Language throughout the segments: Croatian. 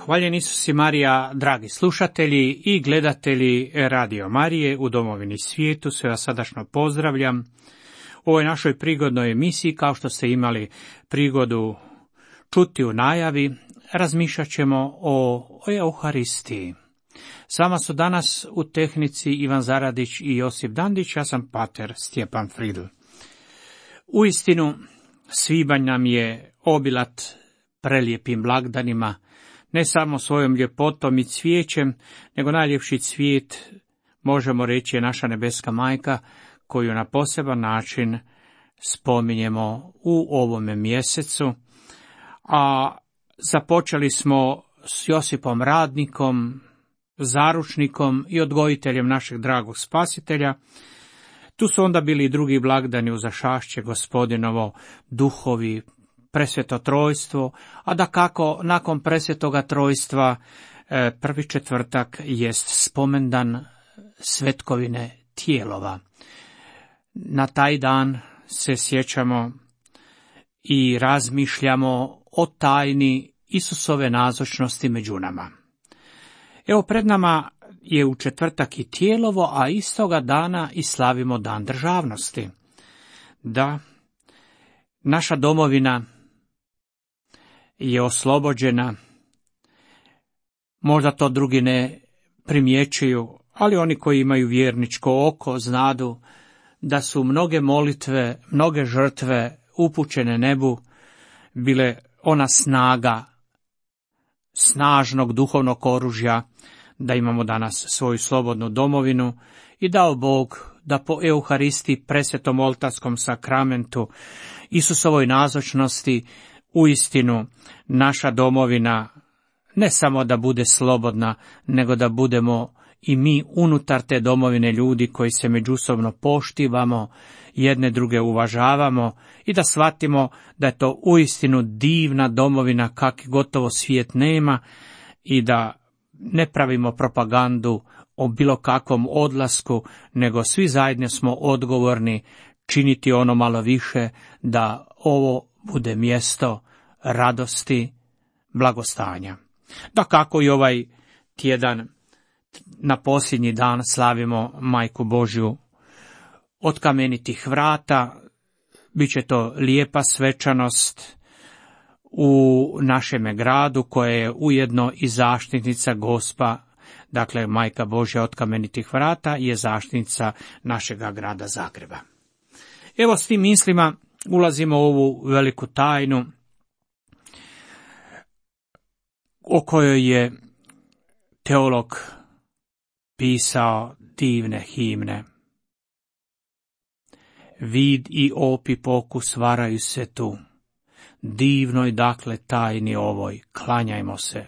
Hvaljen Isus i Marija, dragi slušatelji i gledatelji Radio Marije u domovini svijetu, sve vas srdačno pozdravljam. U ovoj našoj prigodnoj emisiji, kao što ste imali prigodu čuti u najavi, razmišljat ćemo o Euharistiji. S vama su danas u tehnici Ivan Zaradić i Josip Dandić, ja sam pater Stjepan Fridl. Uistinu, svibanj nam je obilat prelijepim blagdanima, ne samo svojom ljepotom i cvijećem, nego najljepši cvijet, možemo reći, je naša nebeska majka, koju na poseban način spominjemo u ovome mjesecu. A započeli smo s Josipom Radnikom, zaručnikom i odgojiteljem našeg dragog spasitelja. Tu su onda bili i drugi blagdani uzašašće Gospodinovo, duhovi, presveto trojstvo, a dakako nakon presvetoga trojstva prvi četvrtak jest spomendan svetkovine tijelova. Na taj dan se sjećamo i razmišljamo o tajni Isusove nazočnosti među nama. Evo, pred nama je u četvrtak i tijelovo, a istoga dana i slavimo dan državnosti. Da, naša domovina je oslobođena, možda to drugi ne primjećuju, ali oni koji imaju vjerničko oko znadu da su mnoge molitve, mnoge žrtve upućene nebu bile ona snaga snažnog duhovnog oružja da imamo danas svoju slobodnu domovinu i dao Bog da po Euharistiji, presvetom oltarskom sakramentu, Isusovoj nazočnosti, uistinu naša domovina ne samo da bude slobodna, nego da budemo i mi unutar te domovine ljudi koji se međusobno poštivamo, jedne druge uvažavamo i da shvatimo da je to uistinu divna domovina kakvi gotovo svijet nema i da ne pravimo propagandu o bilo kakvom odlasku, nego svi zajedno smo odgovorni činiti ono malo više da ovo bude mjesto radosti, blagostanja. Dakako i ovaj tjedan na posljednji dan slavimo Majku Božju od kamenitih vrata. Biće to lijepa svečanost u našem gradu koja je ujedno i zaštitnica Gospa. Dakle, Majka Božja od kamenitih vrata je zaštitnica našega grada Zagreba. Evo, s tim mislima ulazimo u ovu veliku tajnu o kojoj je teolog pisao divne himne. Vid i opi pokus varaju se tu, divnoj dakle tajni ovoj, klanjajmo se,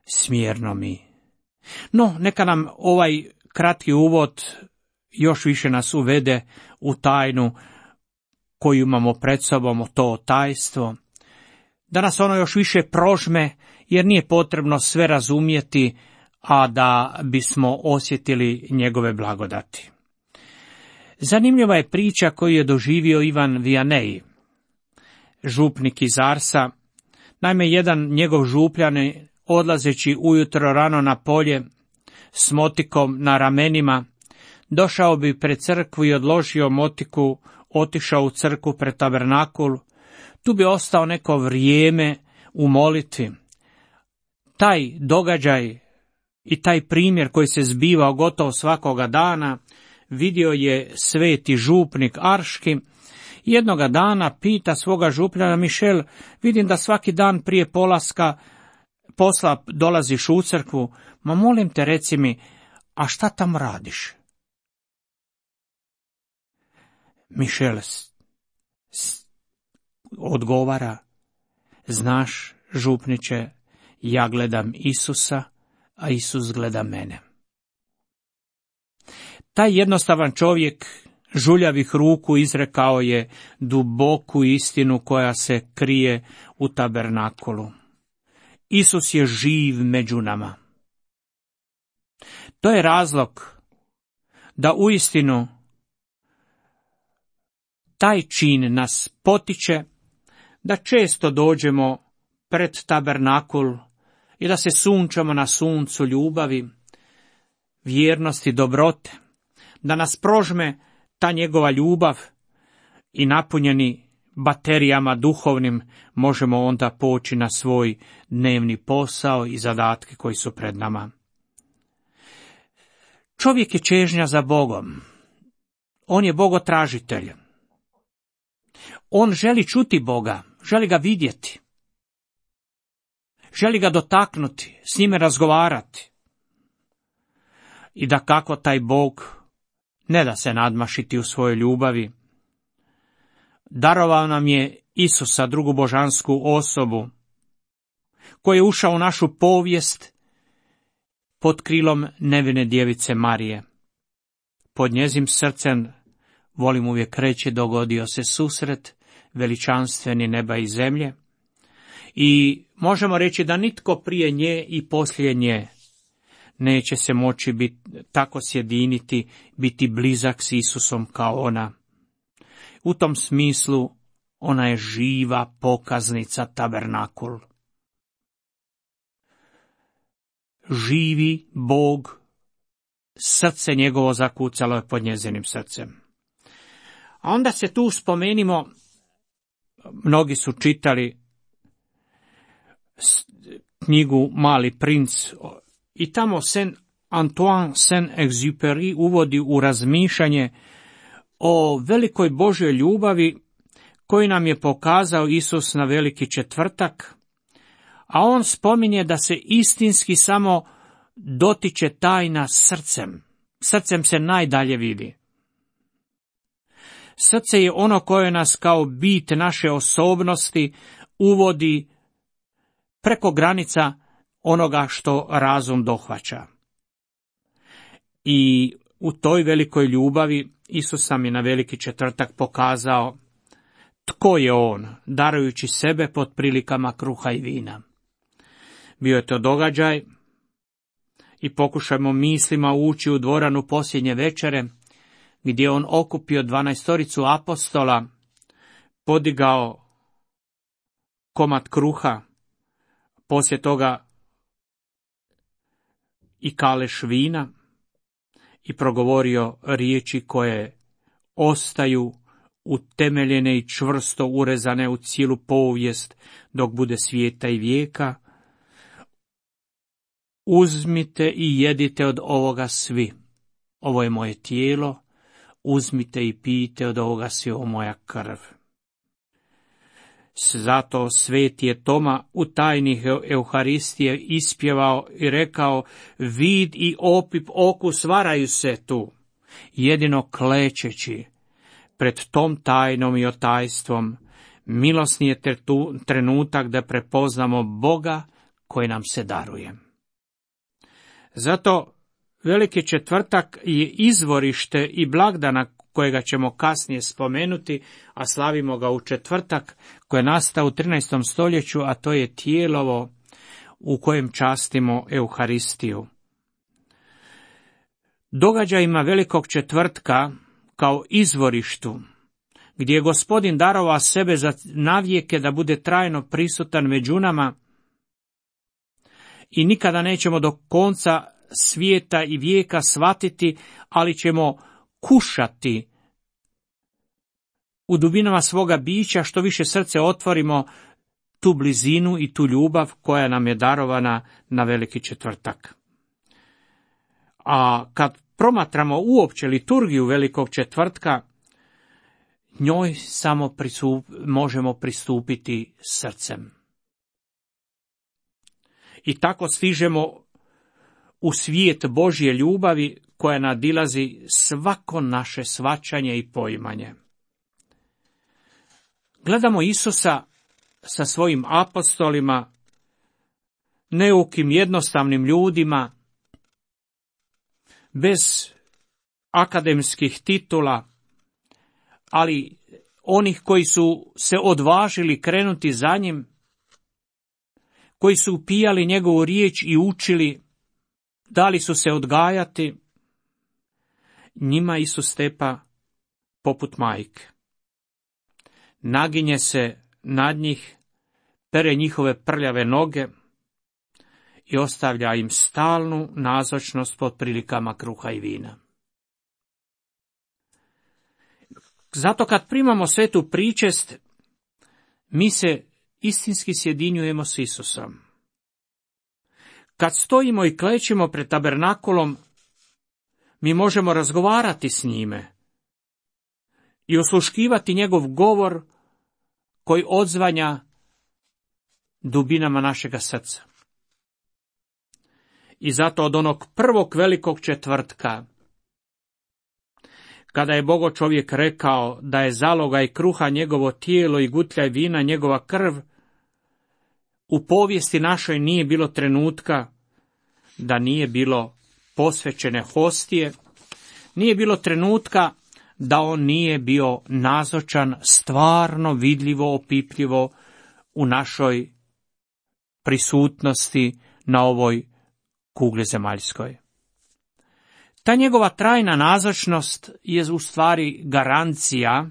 smjerno mi. No, neka nam ovaj kratki uvod još više nas uvede u tajnu koju imamo pred sobom, to tajstvo, da nas ono još više prožme, jer nije potrebno sve razumjeti, a da bismo osjetili njegove blagodati. Zanimljiva je priča koju je doživio Ivan Vianney, župnik iz Arsa. Naime, jedan njegov župljanin, odlazeći ujutro rano na polje s motikom na ramenima, došao bi pred crkvu i odložio motiku, otišao u crkvu pred tabernakul. Tu bi ostao neko vrijeme u molitvi. Taj događaj i taj primjer koji se zbivao gotovo svakoga dana vidio je sveti župnik Arški. Jednoga dana pita svoga župljana: Mišel, vidim da svaki dan prije polaska posla dolaziš u crkvu, ma molim te reci mi, a šta tamo radiš? Mišel odgovara: znaš, župniče, ja gledam Isusa, a Isus gleda mene. Taj jednostavan čovjek žuljavih ruku izrekao je duboku istinu koja se krije u tabernakulu. Isus je živ među nama. To je razlog da uistinu taj čin nas potiče da često dođemo pred tabernakul i da se sunčamo na suncu ljubavi, vjernosti, dobrote, da nas prožme ta njegova ljubav i napunjeni baterijama duhovnim možemo onda poći na svoj dnevni posao i zadatke koji su pred nama. Čovjek je čežnja za Bogom. On je bogotražitelj. On želi čuti Boga, želi ga vidjeti. Želi ga dotaknuti, s njime razgovarati. I da kako taj Bog ne da se nadmašiti u svojoj ljubavi. Darovao nam je Isusa, drugu božansku osobu, koji je ušao u našu povijest pod krilom nevine djevice Marije. Pod njezim srcem, volim uvijek reći, dogodio se susret veličanstveni neba i zemlje i možemo reći da nitko prije nje i poslije nje neće se moći tako sjediniti, biti blizak s Isusom kao ona. U tom smislu ona je živa pokaznica tabernakul. Živi Bog, srce njegovo zakucalo je pod njezinim srcem. A onda se tu spomenimo, mnogi su čitali knjigu Mali princ i tamo Antoine Saint-Exupéry uvodi u razmišljanje o velikoj Božjoj ljubavi koju nam je pokazao Isus na Veliki četvrtak, a on spominje da se istinski samo dotiče tajna srcem. Srcem se najdalje vidi. Srce je ono koje nas kao bit naše osobnosti uvodi preko granica onoga što razum dohvaća. I u toj velikoj ljubavi Isus nam je na Veliki četvrtak pokazao tko je on, darujući sebe pod prilikama kruha i vina. Bio je to događaj i pokušajmo mislima ući u dvoranu posljednje večere, gdje je on okupio 12 apostola, podigao komad kruha, poslije toga i kaleš vina i progovorio riječi koje ostaju utemeljene i čvrsto urezane u cijelu povijest dok bude svijeta i vijeka. Uzmite i jedite od ovoga svi. Ovo je moje tijelo, uzmite i pijte od ovoga svi, ovo moja krv. Zato sveti je Toma u tajnih Euharistije ispjevao i rekao: vid i opip okus varaju se tu, jedino klečeći pred tom tajnom i otajstvom. Milosni je trenutak da prepoznamo Boga koji nam se daruje. Zato Veliki četvrtak je izvorište i blagdana kojega ćemo kasnije spomenuti, a slavimo ga u četvrtak koji je nastao u 13. stoljeću, a to je tijelovo u kojem častimo Euharistiju. Događajima Velikog četvrtka kao izvorištu, gdje je Gospodin darovao sebe za navijeke da bude trajno prisutan među nama i nikada nećemo do konca svijeta i vijeka shvatiti, ali ćemo kušati u dubinama svoga bića, što više srce otvorimo, tu blizinu i tu ljubav koja nam je darovana na Veliki četvrtak. A kad promatramo uopće liturgiju Velikog četvrtka, njoj samo možemo pristupiti srcem. I tako stižemo u svijet Božje ljubavi koja nadilazi svako naše shvaćanje i poimanje. Gledamo Isusa sa svojim apostolima, neukim jednostavnim ljudima, bez akademskih titula, ali onih koji su se odvažili krenuti za njim, koji su upijali njegovu riječ i učili, dali su se odgajati, njima Isus stepa poput majke. Naginje se nad njih, pere njihove prljave noge i ostavlja im stalnu nazočnost pod prilikama kruha i vina. Zato kad primamo svetu pričest, mi se istinski sjedinjujemo s Isusom. Kad stojimo i klećemo pred tabernakulom, mi možemo razgovarati s njime i osluškivati njegov govor koji odzvanja dubinama našega srca. I zato od onog prvog velikog četvrtka, kada je Bogo čovjek rekao da je zalogaj kruha njegovo tijelo i gutljaj vina njegova krv, u povijesti našoj nije bilo trenutka da nije bilo posvećene hostije, nije bilo trenutka da on nije bio nazočan stvarno vidljivo, opipljivo u našoj prisutnosti na ovoj kugli zemaljskoj. Ta njegova trajna nazočnost je u stvari garancija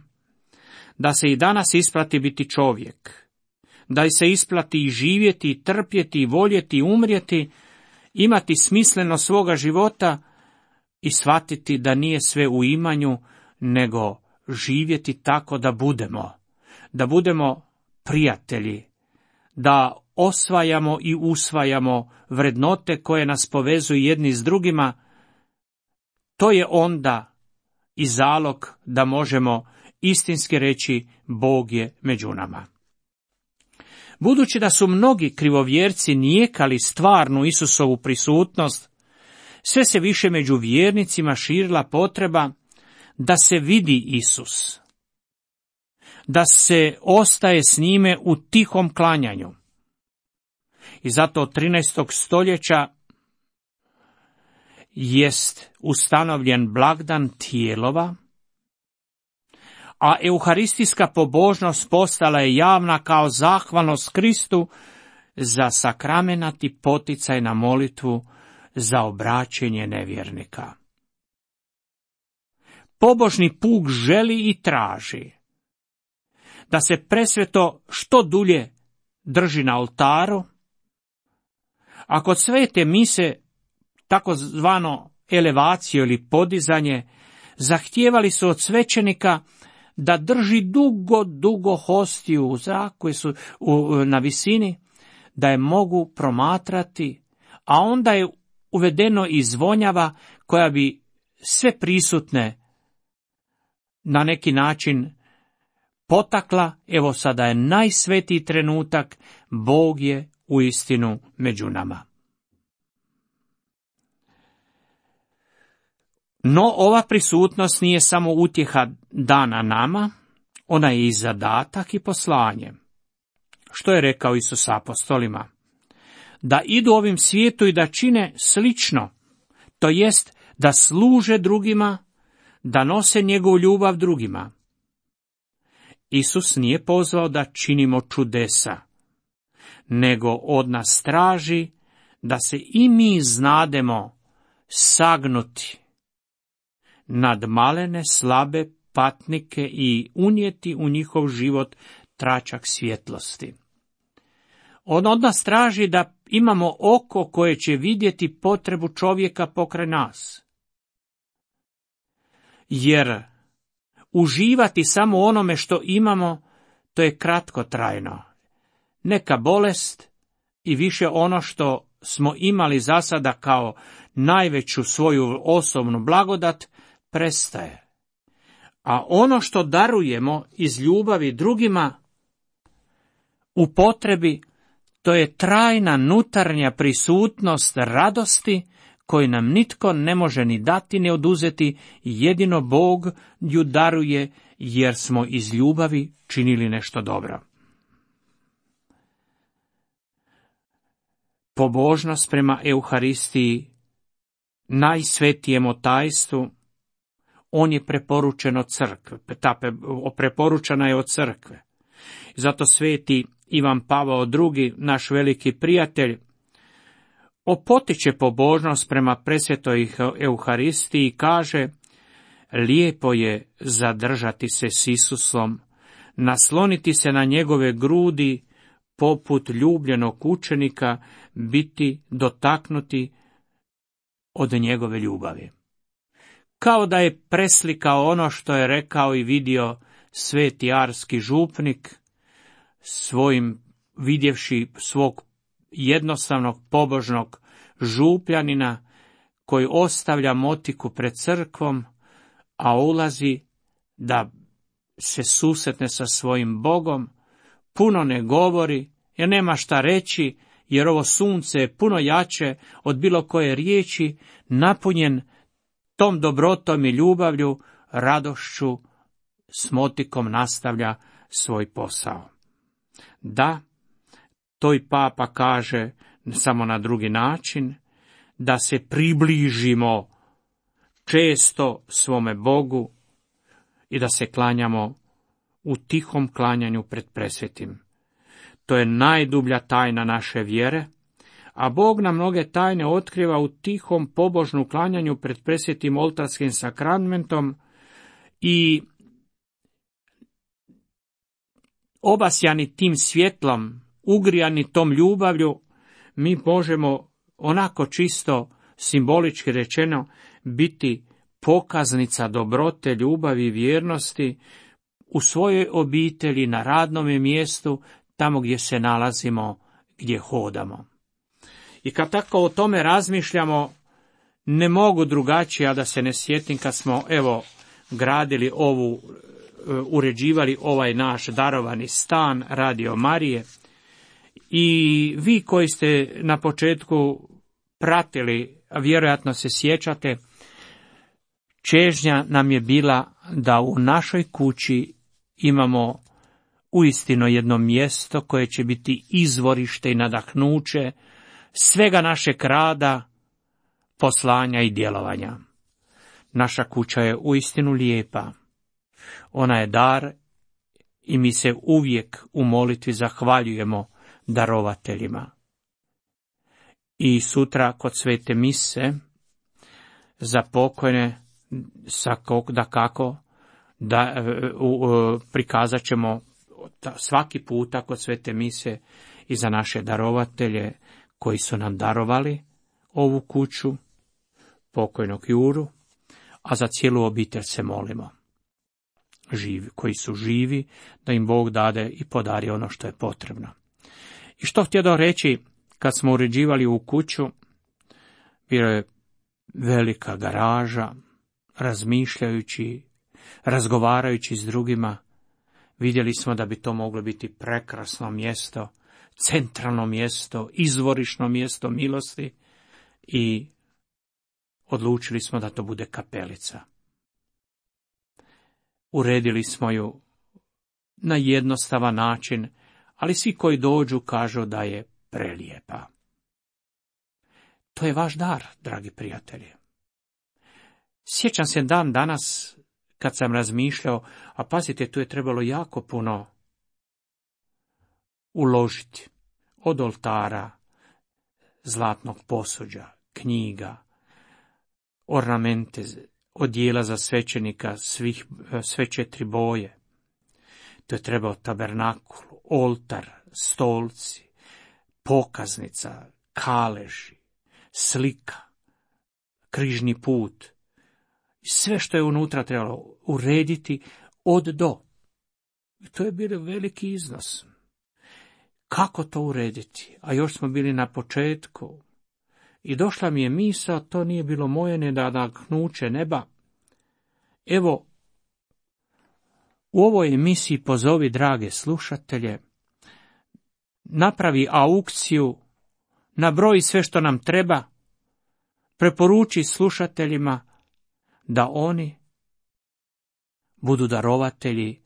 da se i danas isplati biti čovjek, da se isplati i živjeti, i trpjeti, i voljeti, i umrijeti, imati smisleno svoga života i shvatiti da nije sve u imanju, nego živjeti tako da budemo prijatelji, da osvajamo i usvajamo vrednote koje nas povezuju jedni s drugima. To je onda i zalog da možemo istinski reći Bog je među nama. Budući da su mnogi krivovjerci nijekali stvarnu Isusovu prisutnost, sve se više među vjernicima širila potreba da se vidi Isus, da se ostaje s njime u tihom klanjanju. I zato od 13. stoljeća jest ustanovljen blagdan tijelova, a euharistijska pobožnost postala je javna kao zahvalnost Kristu za sakramenati poticaj na molitvu za obraćenje nevjernika. Pobožni puk želi i traži da se presveto što dulje drži na oltaru, a kod svete mise, takozvano elevaciju ili podizanje, zahtijevali su od svećenika da drži dugo hostiju u zraku koji su na visini, da je mogu promatrati, a onda je uvedeno i zvonjava koja bi sve prisutne na neki način potakla, evo sada je najsvetiji trenutak, Bog je uistinu među nama. No, ova prisutnost nije samo utjeha dana nama, ona je i zadatak i poslanje. Što je rekao Isus apostolima? Da idu ovim svijetu i da čine slično, to jest da služe drugima, da nose njegovu ljubav drugima. Isus nije pozvao da činimo čudesa, nego od nas traži da se i mi znademo sagnuti nad malene, slabe patnike i unijeti u njihov život tračak svjetlosti. On od nas traži da imamo oko koje će vidjeti potrebu čovjeka pokraj nas. Jer uživati samo onome što imamo, to je kratkotrajno. Neka bolest i više ono što smo imali za sada kao najveću svoju osobnu blagodat prestaje. A ono što darujemo iz ljubavi drugima u potrebi, to je trajna nutarnja prisutnost radosti koju nam nitko ne može ni dati ni oduzeti, jedino Bog ju daruje jer smo iz ljubavi činili nešto dobro. Pobožnost prema Euharistiji, najsvetijemu tajstvu, on je preporučen od crkve, preporučena je od crkve. Zato sveti Ivan Pavao II, naš veliki prijatelj, opotiče pobožnost prema presvetoj Euharistiji i kaže: lijepo je zadržati se s Isusom, nasloniti se na njegove grudi, poput ljubljenog učenika biti dotaknuti od njegove ljubavi. Kao da je preslikao ono što je rekao i vidio sveti arski župnik, vidjevši svog jednostavnog pobožnog župljanina koji ostavlja motiku pred crkvom, a ulazi da se susretne sa svojim Bogom, puno ne govori, jer nema šta reći, jer ovo sunce je puno jače od bilo koje riječi, napunjen tom dobrotom i ljubavlju, radošću, s motikom nastavlja svoj posao. Da, to i papa kaže samo na drugi način, da se približimo često svome Bogu i da se klanjamo u tihom klanjanju pred presvetim. To je najdublja tajna naše vjere, a Bog nam mnoge tajne otkriva u tihom pobožnu klanjanju pred presvetim oltarskim sakramentom i obasjani tim svjetlom, ugrijani tom ljubavlju, mi možemo onako čisto, simbolički rečeno, biti pokaznica dobrote, ljubavi i vjernosti u svojoj obitelji, na radnom mjestu, tamo gdje se nalazimo, gdje hodamo. I kad tako o tome razmišljamo, ne mogu drugačije, a da se ne sjetim kad smo, gradili uređivali ovaj naš darovani stan Radio Marije, i vi koji ste na početku pratili, a vjerojatno se sjećate, čežnja nam je bila da u našoj kući imamo uistinu jedno mjesto koje će biti izvorište i nadahnuće svega našeg rada, poslanja i djelovanja. Naša kuća je uistinu lijepa. Ona je dar i mi se uvijek u molitvi zahvaljujemo darovateljima. I sutra kod svete mise za pokojne prikazat ćemo svaki puta kod svete mise i za naše darovatelje koji su nam darovali ovu kuću, pokojnog Juru, a za cijelu obitelj se molimo. Koji su živi, da im Bog dade i podari ono što je potrebno. I što htjedo reći, kad smo uređivali u kuću, bila je velika garaža, razmišljajući, razgovarajući s drugima, vidjeli smo da bi to moglo biti prekrasno mjesto, centralno mjesto, izvorišno mjesto milosti, i odlučili smo da to bude kapelica. Uredili smo ju na jednostavan način, ali svi koji dođu kažu da je prelijepa. To je vaš dar, dragi prijatelji. Sjećam se dan danas kad sam razmišljao, a pazite, tu je trebalo jako puno uložiti. Od oltara, zlatnog posuđa, knjiga, ornamente, odijela za svećenika, sve 4 boje. To je trebao tabernakul, oltar, stolci, pokaznica, kaleži, slika, križni put. Sve što je unutra trebalo urediti od do. I to je bio veliki iznos. Kako to urediti? A još smo bili na početku. I došla mi je misao, to nije bilo moje, ne da nadahnuće neba. Evo, u ovoj emisiji pozovi drage slušatelje, napravi aukciju, nabroji sve što nam treba, preporuči slušateljima da oni budu darovatelji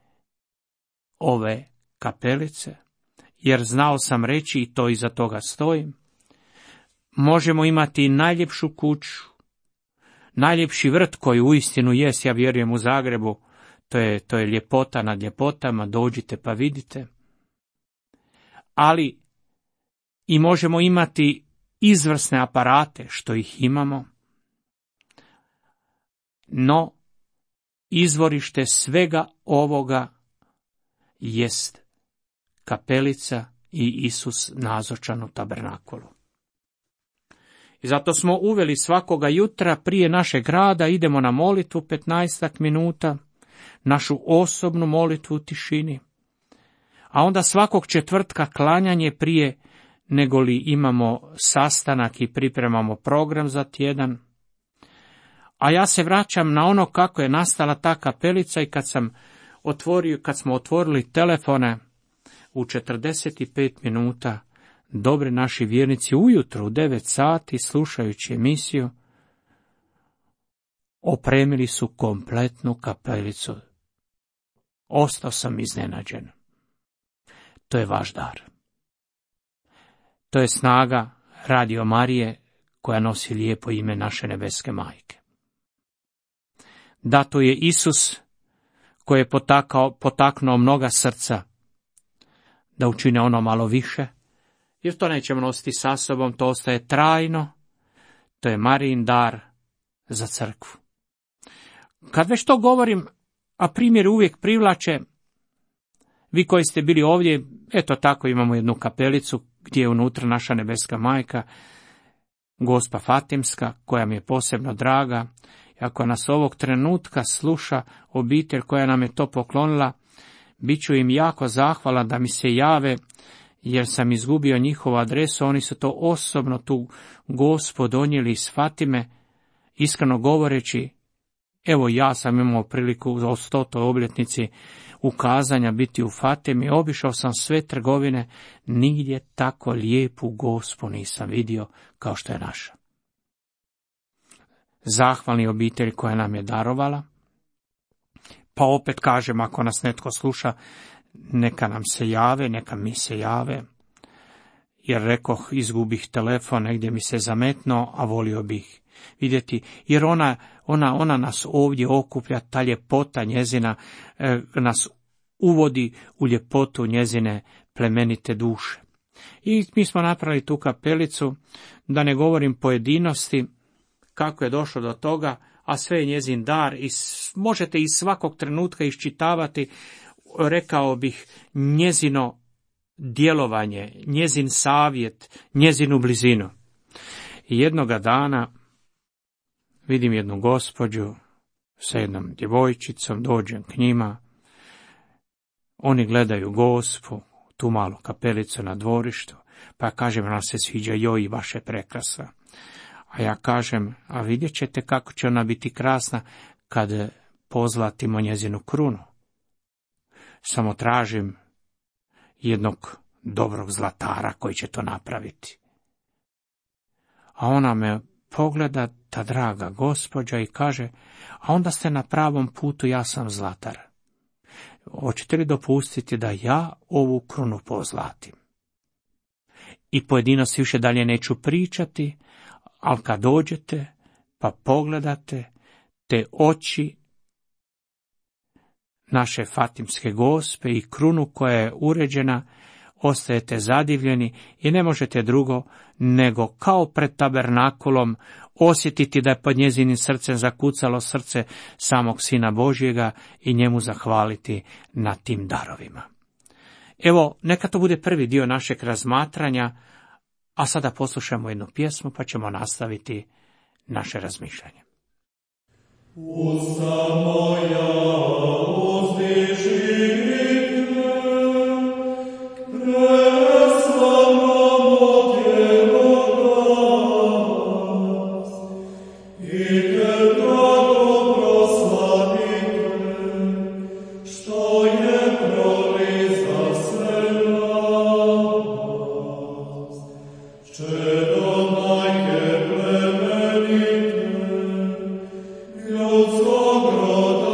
ove kapelice, jer znao sam reći i to iza toga stojim. Možemo imati najljepšu kuću, najljepši vrt koji uistinu jest, ja vjerujem, u Zagrebu, to je ljepota nad ljepotama, dođite pa vidite. Ali i možemo imati izvrsne aparate, što ih imamo, no izvorište svega ovoga jest kapelica i Isus nazočan u tabernakulu. I zato smo uveli svakoga jutra prije našeg rada, idemo na molitvu 15 minuta, našu osobnu molitvu u tišini. A onda svakog četvrtka klanjanje prije nego li imamo sastanak i pripremamo program za tjedan. A ja se vraćam na ono kako je nastala ta kapelica i kad smo otvorili telefone u 45 minuta, dobri naši vjernici ujutro u 9 sati slušajući emisiju, opremili su kompletnu kapelicu. Ostao sam iznenađen. To je vaš dar. To je snaga Radio Marije koja nosi lijepo ime naše nebeske majke. Da, to je Isus koji je potaknuo mnoga srca da učine ono malo više, jer to nećemo nositi sa sobom, to ostaje trajno, to je Marijin dar za crkvu. Kad već to govorim, a primjer uvijek privlače, vi koji ste bili ovdje, eto tako imamo jednu kapelicu gdje je unutra naša nebeska majka, Gospa Fatimska, koja mi je posebno draga. I ako nas ovog trenutka sluša obitelj koja nam je to poklonila, bit ću im jako zahvalan da mi se jave, jer sam izgubio njihovu adresu. Oni su to osobno tu Gospu donijeli iz Fatime, iskreno govoreći, evo ja sam imao priliku o 100. obljetnici ukazanja biti u Fatimi, obišao sam sve trgovine, nigdje tako lijepu Gospu nisam vidio kao što je naša. Zahvalni obitelj koja nam je darovala, pa opet kažem, ako nas netko sluša, neka nam se jave, neka mi se jave, jer rekoh, izgubih telefon, negdje mi se zametno, a volio bih vidjeti, jer ona nas ovdje okuplja, ta ljepota njezina nas uvodi u ljepotu njezine plemenite duše. I mi smo napravili tu kapelicu, da ne govorim pojedinosti, kako je došlo do toga, a sve je njezin dar i možete iz svakog trenutka iščitavati, rekao bih, njezino djelovanje, njezin savjet, njezinu blizinu. I jednoga dana vidim jednu gospođu sa jednom djevojčicom, dođem k njima, oni gledaju Gospu, tu malu kapelicu na dvorištu, pa kažem, nam se sviđa, joj, baš je prekrasna. A ja kažem, a vidjet ćete kako će ona biti krasna kad pozlatimo njezinu krunu. Samo tražim jednog dobrog zlatara koji će to napraviti. A ona me pogleda, ta draga gospođa, i kaže, a onda ste na pravom putu, ja sam zlatar. Hoćete li dopustiti da ja ovu krunu pozlatim? I pojedinosti više dalje neću pričati, ali kad dođete pa pogledate te oči naše Fatimske Gospe i krunu koja je uređena, ostajete zadivljeni i ne možete drugo nego kao pred tabernakulom osjetiti da je pod njezinim srcem zakucalo srce samog Sina Božjega i njemu zahvaliti na tim darovima. Evo, neka to bude prvi dio našeg razmatranja, a sada poslušamo jednu pjesmu pa ćemo nastaviti naše razmišljanje. Usta moja uzdiži ljudskog roda.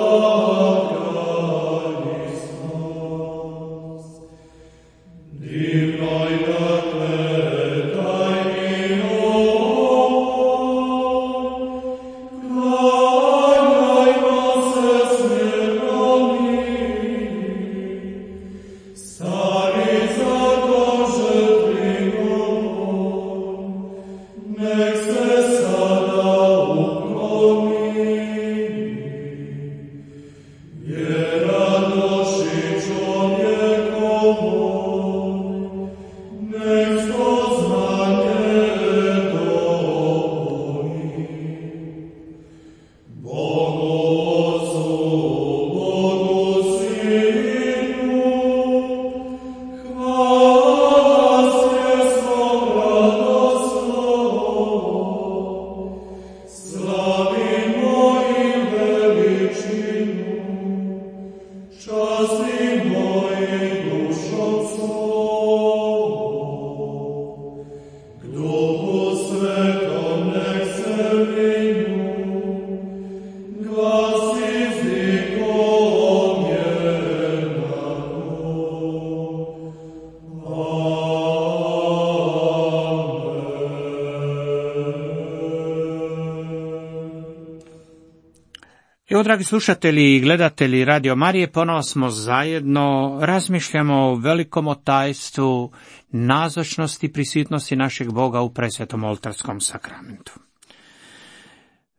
dragi slušatelji i gledatelji Radio Marije, ponovo smo zajedno, razmišljamo o velikom tajstvu nazočnosti i prisutnosti našeg Boga u presvetom oltarskom sakramentu.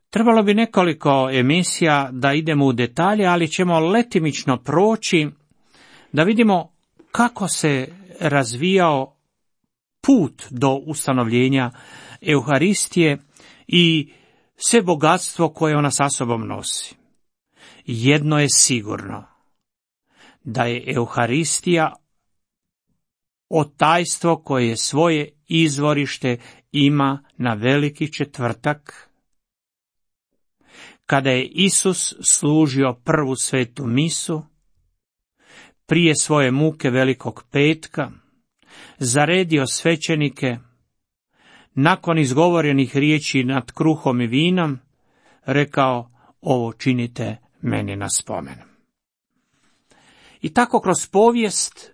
Trebalo bi nekoliko emisija da idemo u detalje, ali ćemo letimično proći da vidimo kako se razvijao put do ustanovljenja Euharistije i sve bogatstvo koje ona sa sobom nosi. Jedno je sigurno, da je Euharistija tajstvo koje svoje izvorište ima na Veliki četvrtak, kada je Isus služio prvu svetu misu, prije svoje muke Velikog petka, zaredio svećenike, nakon izgovorenih riječi nad kruhom i vinom, rekao: ovo činite meni na spomen. I tako kroz povijest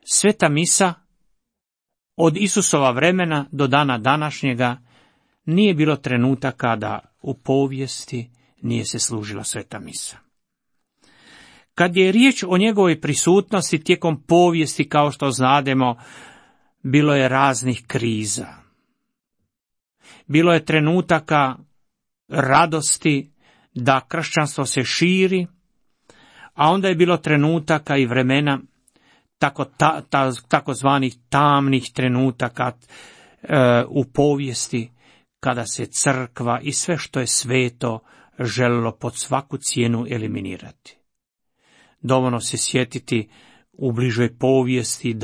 sveta misa od Isusova vremena do dana današnjega nije bilo trenutaka da u povijesti nije se služila sveta misa. Kad je riječ o njegovoj prisutnosti tijekom povijesti, kao što znademo, bilo je raznih kriza. Bilo je trenutaka radosti da kršćanstvo se širi, a onda je bilo trenutaka i vremena takozvanih tamnih trenutaka u povijesti, kada se crkva i sve što je sveto želilo pod svaku cijenu eliminirati. Dovoljno se sjetiti u bližoj povijesti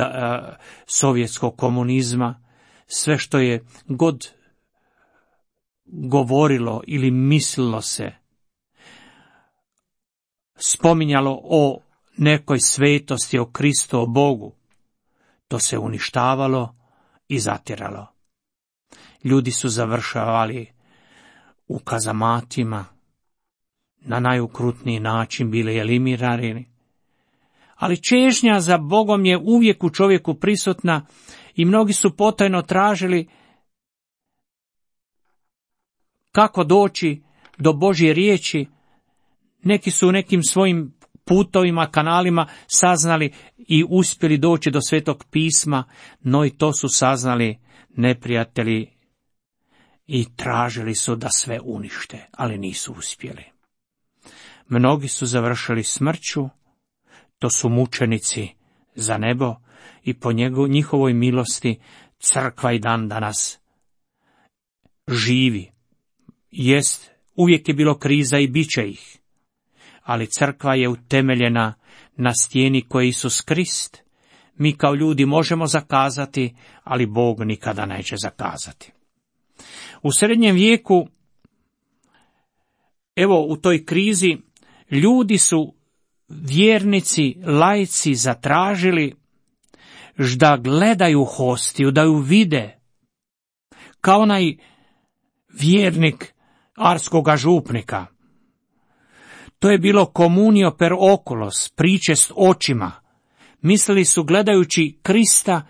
sovjetskog komunizma, sve što je god govorilo ili mislilo se, spominjalo o nekoj svetosti, o Kristu, o Bogu, to se uništavalo i zatiralo. Ljudi su završavali u kazamatima, na najukrutniji način bili eliminirani, ali čežnja za Bogom je uvijek u čovjeku prisutna i mnogi su potajno tražili kako doći do Božje riječi. Neki su u nekim svojim putovima, kanalima saznali i uspjeli doći do Svetog pisma, no i to su saznali neprijatelji i tražili su da sve unište, ali nisu uspjeli. Mnogi su završili smrću, to su mučenici za nebo i po njihovoj milosti crkva i dan danas živi. Jest, uvijek je bilo kriza i bit će ih, ali crkva je utemeljena na stijeni koji je Isus Krist. Mi kao ljudi možemo zakazati, ali Bog nikada neće zakazati. U srednjem vijeku, evo u toj krizi, ljudi su, vjernici, laici, zatražili da gledaju hostiju, da ju vide, kao onaj vjernik arskoga župnika. To je bilo communio per oculos, pričest očima. Mislili su, gledajući Krista,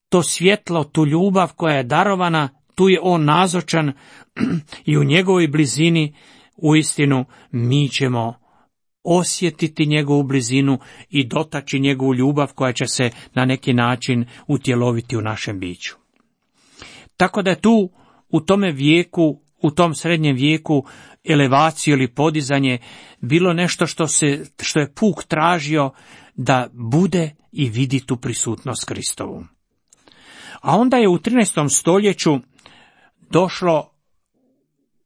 to svjetlo, tu ljubav koja je darovana, tu je on nazočan i u njegovoj blizini uistinu mi ćemo osjetiti njegovu blizinu i dotaći njegovu ljubav koja će se na neki način utjeloviti u našem biću. Tako da je tu u tome vijeku, u tom srednjem vijeku, elevaciju ili podizanje bilo nešto što je puk tražio da bude i vidi tu prisutnost Kristovu. A onda je u 13. stoljeću došlo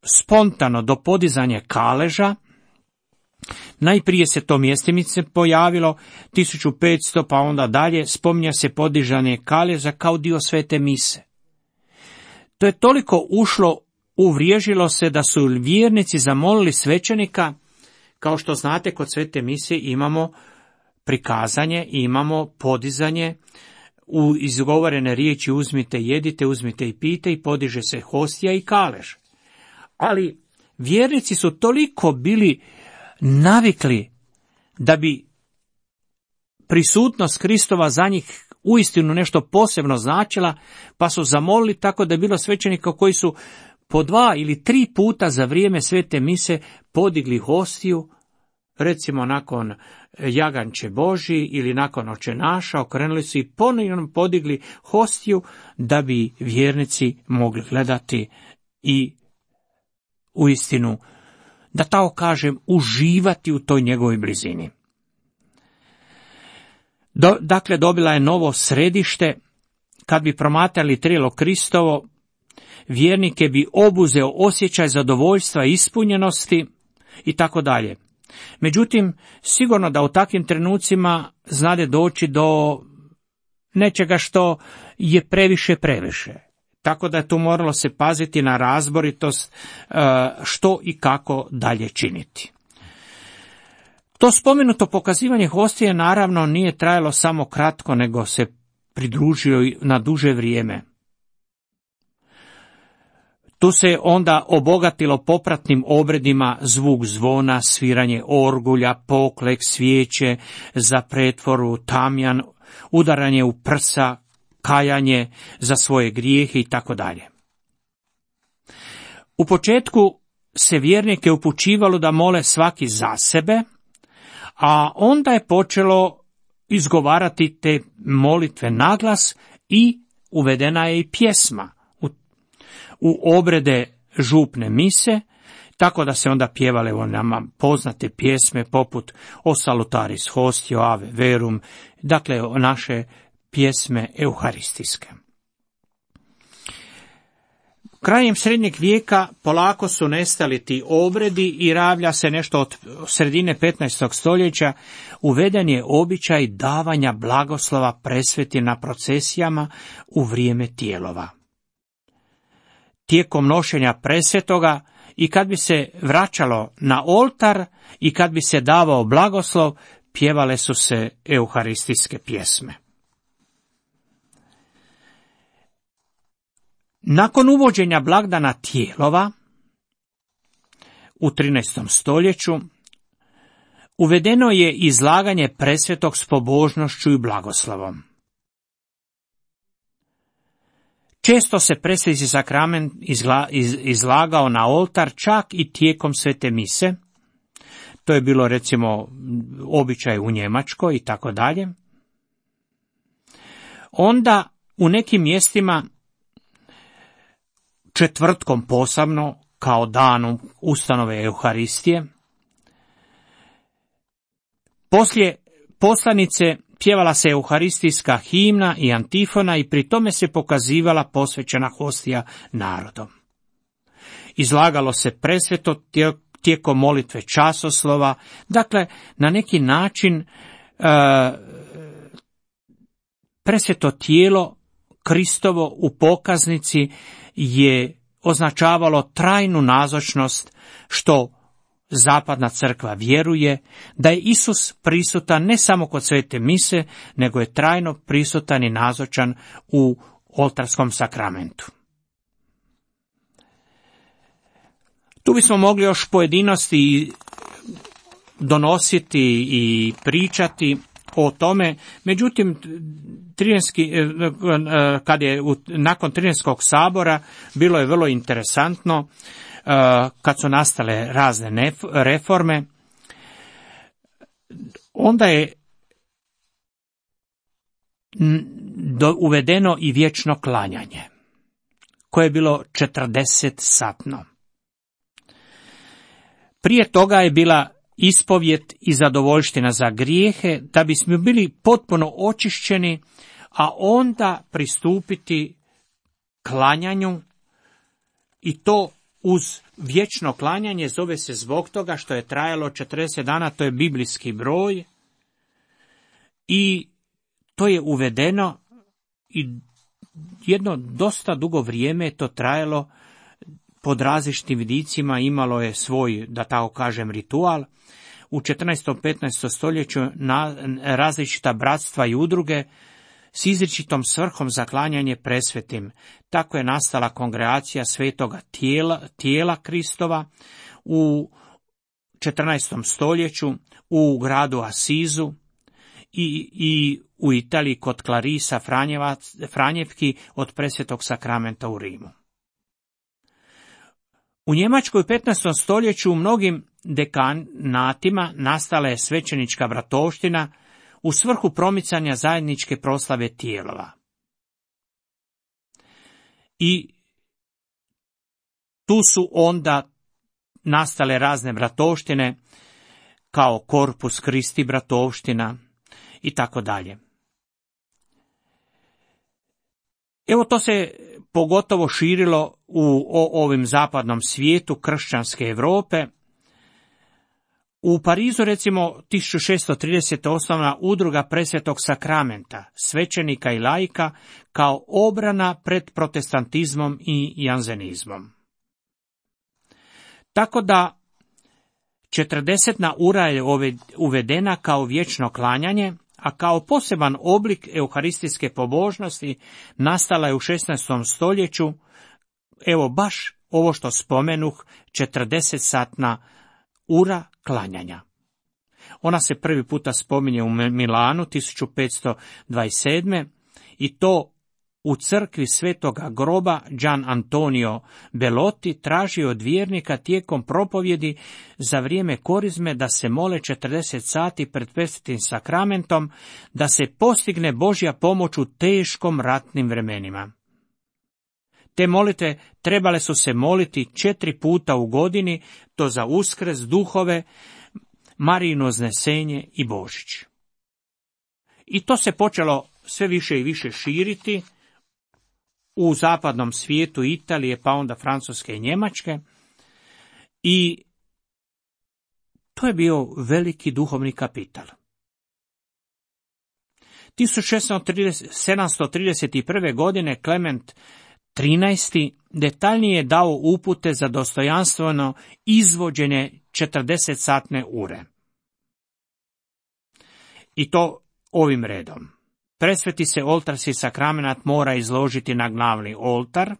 spontano do podizanja kaleža. Najprije se to mjestimice pojavilo, 1500, pa onda dalje spominja se podižanje kaleža kao dio svete mise. To je toliko ušlo, uvriježilo se da su vjernici zamolili svećenika. Kao što znate, kod svete mise imamo prikazanje, imamo podizanje, u izgovorene riječi uzmite, jedite, uzmite i pijte i podiže se hostija i kalež. Ali vjernici su toliko bili navikli da bi prisutnost Kristova za njih uistinu nešto posebno značila, pa su zamolili, tako da je bilo svećenika koji su po 2 ili 3 puta za vrijeme svete mise podigli hostiju, recimo nakon jaganče Božji ili nakon očenaša, okrenuli su i ponovno podigli hostiju da bi vjernici mogli gledati i uistinu, da tako kažem, uživati u toj njegovoj blizini. Dakle, dobila je novo središte. Kad bi promatrali tijelo Kristovo, vjernike bi obuzeo osjećaj zadovoljstva i ispunjenosti i tako dalje. Međutim, sigurno da u takvim trenucima znade doći do nečega što je previše. Tako da je tu moralo se paziti na razboritost što i kako dalje činiti. To spomenuto pokazivanje hostije naravno nije trajalo samo kratko, nego se pridružio na duže vrijeme. Tu se onda obogatilo popratnim obredima zvuk zvona, sviranje orgulja, poklek, svijeće za pretvoru, tamjan, udaranje u prsa, kajanje za svoje grijehe i tako dalje. U početku se vjernike upućivalo da mole svaki za sebe, a onda je počelo izgovarati te molitve naglas i uvedena je i pjesma u obrede župne mise, tako da se onda pjevale o nama poznate pjesme poput O salutaris hostio, Ave verum, dakle naše pjesme euharistijske. Krajem srednjeg vijeka polako su nestali ti obredi i ravlja se nešto od sredine 15. stoljeća, uveden je običaj davanja blagoslova presveti na procesijama u vrijeme tijelova. Tijekom nošenja presvetoga i kad bi se vraćalo na oltar i kad bi se davao blagoslov, pjevale su se euharistijske pjesme. Nakon uvođenja blagdana tijelova u 13. stoljeću uvedeno je izlaganje presvetog s pobožnošću i blagoslovom. Često se presveti sakrament izlagao na oltar čak i tijekom svete mise. To je bilo recimo običaj u Njemačkoj i tako dalje. Onda u nekim mjestima četvrtkom posebno, kao danom ustanove Euharistije, poslije poslanice pjevala se euharistijska himna i antifona i pri tome se pokazivala posvećena hostija narodom. Izlagalo se presveto tijekom molitve časoslova, dakle na neki način presveto tijelo Kristovo u pokaznici je označavalo trajnu nazočnost, što zapadna crkva vjeruje da je Isus prisutan ne samo kod svete mise, nego je trajno prisutan i nazočan u oltarskom sakramentu. Tu bismo mogli još pojedinosti donositi i pričati o tome, međutim, kad je nakon Tridenskog sabora bilo je vrlo interesantno kad su nastale razne reforme, onda je uvedeno i vječno klanjanje, koje je bilo 40-satno. Prije toga je bila ispovijed i zadovoljština za grijehe, da bismo bili potpuno očišćeni, a onda pristupiti klanjanju, i to uz vječno klanjanje. Zove se zbog toga što je trajalo 40 dana, to je biblijski broj, i to je uvedeno i jedno dosta dugo vrijeme je to trajalo. Pod različitim vidicima imalo je svoj, da tako kažem, ritual. U 14. 15. stoljeću različita bratstva i udruge s izričitom svrhom za klanjanje presvetim. Tako je nastala kongregacija svetoga tijela Kristova u 14. stoljeću u gradu Asizu i u Italiji kod Clarisa Franjevki od presvetog sakramenta u Rimu. U Njemačkoj u 15. stoljeću u mnogim dekanatima nastala je svećenička bratovština u svrhu promicanja zajedničke proslave tijelova. I tu su onda nastale razne bratovštine, kao Corpus Christi bratovština i tako dalje. Evo, to se pogotovo širilo u ovim zapadnom svijetu kršćanske Europe. U Parizu, recimo, 1630. osnovna udruga Presvetog sakramenta, svećenika i laika, kao obrana pred protestantizmom i janzenizmom. Tako da 40. ura je uvedena kao vječno klanjanje, a kao poseban oblik euharistijske pobožnosti nastala je u 16. stoljeću, evo baš ovo što spomenuh, 40-satna ura klanjanja. Ona se prvi puta spominje u Milanu 1527. i to u crkvi Svetoga groba. Gian Antonio Belotti tražio od vjernika tijekom propovjedi za vrijeme korizme da se mole 40 sati pred presvetim sakramentom, da se postigne Božja pomoć u teškom ratnim vremenima. Te molitve trebale su se moliti 4 puta u godini, to za Uskrs, duhove, Marijino uznesenje i Božić. I to se počelo sve više i više širiti u zapadnom svijetu Italije, pa onda Francuske i Njemačke. I to je bio veliki duhovni kapital. 1731. godine Klement XIII. Detaljnije je dao upute za dostojanstveno izvođenje 40-satne ure. I to ovim redom. Presveti se oltarski sakramenat mora izložiti na glavni oltar.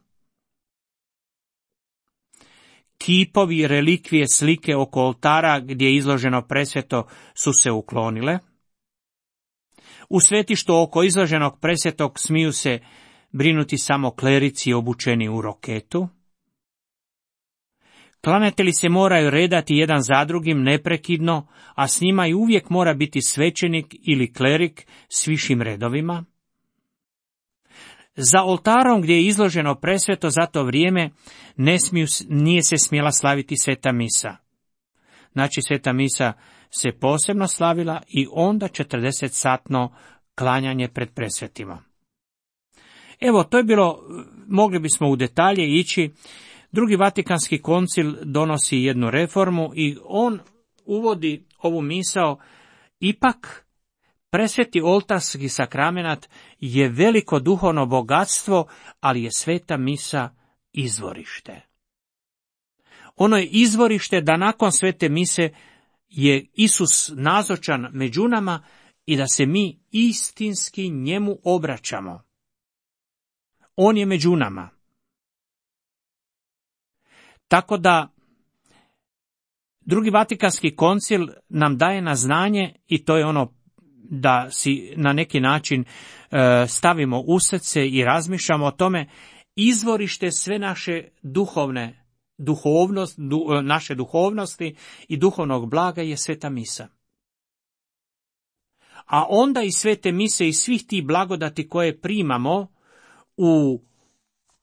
Kipovi, relikvije, slike oko oltara gdje je izloženo presveto su se uklonile. U svetištu oko izloženog presvetog smiju se brinuti samo klerici obučeni u roketu. Klanjatelji se moraju redati jedan za drugim neprekidno, a s njima i uvijek mora biti svećenik ili klerik s višim redovima. Za oltarom gdje je izloženo presveto za to vrijeme nije se smjela slaviti sveta misa. Znači, sveta misa se posebno slavila i onda 40-satno klanjanje pred presvetima. Evo, to je bilo, mogli bismo u detalje ići. Drugi Vatikanski koncil donosi jednu reformu i on uvodi ovu misao: ipak presveti oltarski sakramenat je veliko duhovno bogatstvo, ali je sveta misa izvorište. Ono je izvorište da nakon svete mise je Isus nazočan među nama i da se mi istinski njemu obraćamo. On je među nama. Tako da Drugi Vatikanski koncil nam daje na znanje, i to je ono da si na neki način stavimo u srce i razmišljamo o tome, izvorište sve naše naše duhovnosti i duhovnog blaga je sveta misa. A onda i svete mise i svih tih blagodati koje primamo u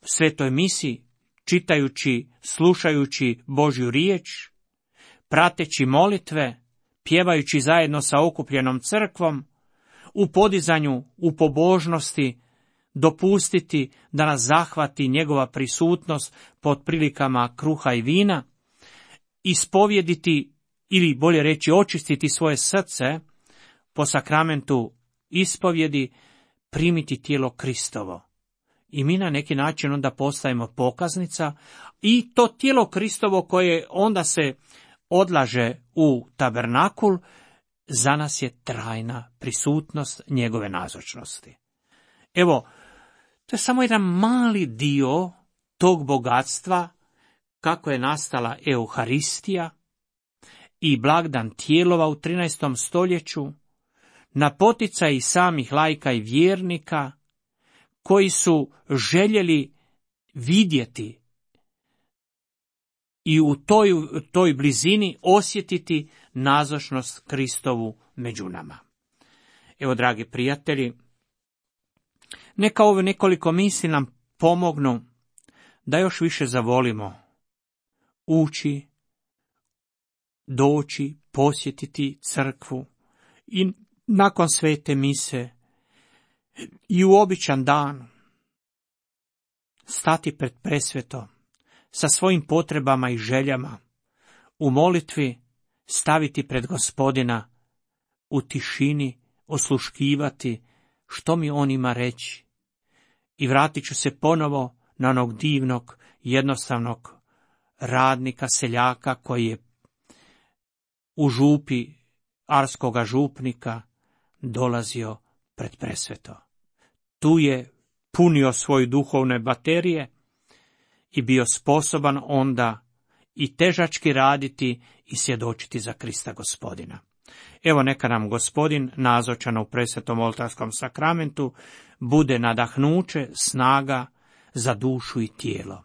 svetoj misi, čitajući, slušajući Božju riječ, prateći molitve, pjevajući zajedno sa okupljenom crkvom, u podizanju, u pobožnosti, dopustiti da nas zahvati njegova prisutnost pod prilikama kruha i vina, ispovjediti, ili bolje reći očistiti svoje srce po sakramentu ispovjedi, primiti tijelo Kristovo. I mi na neki način onda postajemo pokaznica i to tijelo Kristovo koje onda se odlaže u tabernakul, za nas je trajna prisutnost njegove nazočnosti. Evo, to je samo jedan mali dio tog bogatstva kako je nastala Euharistija i blagdan tijelova u 13. stoljeću, na poticaj samih laika i vjernika koji su željeli vidjeti i u toj blizini osjetiti nazočnost Kristovu među nama. Evo, dragi prijatelji, neka ove nekoliko misli nam pomognu da još više zavolimo ući, doći, posjetiti crkvu i nakon svete mise i u običan dan stati pred presveto sa svojim potrebama i željama, u molitvi staviti pred Gospodina, u tišini osluškivati što mi on ima reći. I vratit ću se ponovo na onog divnog, jednostavnog radnika, seljaka koji je u župi arskoga župnika dolazio pred presveto. Tu je punio svoje duhovne baterije i bio sposoban onda i težački raditi i svjedočiti za Krista Gospodina. Evo, neka nam Gospodin, nazočan u presvetom oltarskom sakramentu, bude nadahnuće, snaga za dušu i tijelo.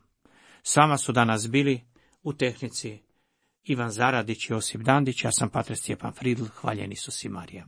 S vama su danas bili u tehnici Ivan Zaradić i Josip Dandić, ja sam pater Stjepan Fridl, hvaljen Isus i Marija.